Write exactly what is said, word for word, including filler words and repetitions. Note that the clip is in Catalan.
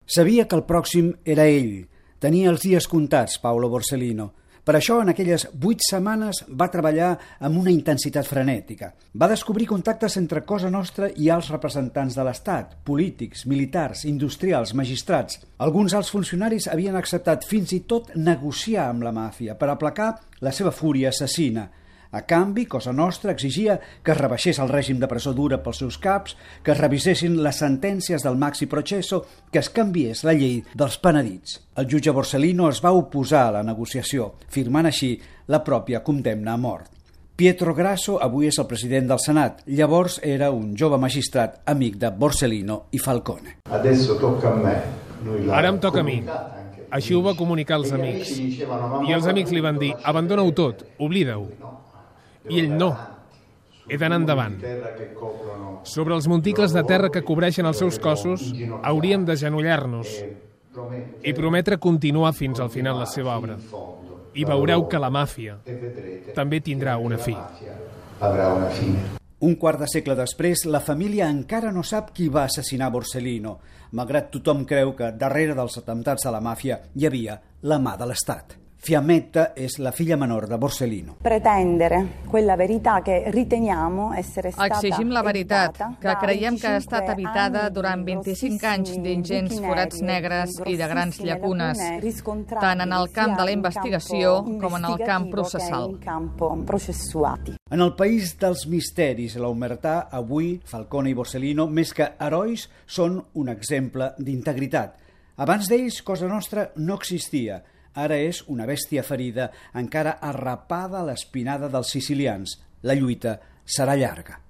Sabia que el pròxim era ell. Tenia els dies comptats, Paolo Borsellino. Per això, en aquelles vuit setmanes, va treballar amb una intensitat frenètica. Va descobrir contactes entre Cosa Nostra i alts representants de l'Estat, polítics, militars, industrials, magistrats. Alguns alts funcionaris havien acceptat fins i tot negociar amb la màfia per aplacar la seva fúria assassina. A canvi, Cosa Nostra exigia que es rebaixés el règim de presó dura pels seus caps, que es revisessin les sentències del Maxi Processo, que es canviés la llei dels penedits. El jutge Borsellino es va oposar a la negociació, firmant així la pròpia condemna a mort. Pietro Grasso avui és el president del Senat. Llavors era un jove magistrat amic de Borsellino i Falcone. Ara em toca a mi. Així ho va comunicar als amics. I els amics li van dir, abandona-ho tot, oblida-ho. I ell no. He d'anar endavant. Sobre els monticles de terra que cobreixen els seus cossos, hauríem d'agenollar-nos i prometre continuar fins al final la seva obra. I veureu que la màfia també tindrà una fi. Un quart de segle després, la família encara no sap qui va assassinar Borsellino, malgrat tothom creu que darrere dels atemptats de la màfia hi havia la mà de l'Estat. Fiammetta és la filla menor de Borsellino. Pretendere quella verità che riteniamo essere stata Exigim la veritat, que creiem que ha estat habitada durant vint-i-cinc anys d'ingents forats negres i de grans llacunes, tant en el camp de la investigació com en el camp processal. En el país dels misteris, l'omertà, avui, Falcone i Borsellino, més que herois, són un exemple d'integritat. Abans d'ells, Cosa Nostra no existia. Ara és una bèstia ferida, encara arrapada a l'espinada dels sicilians. La lluita serà llarga.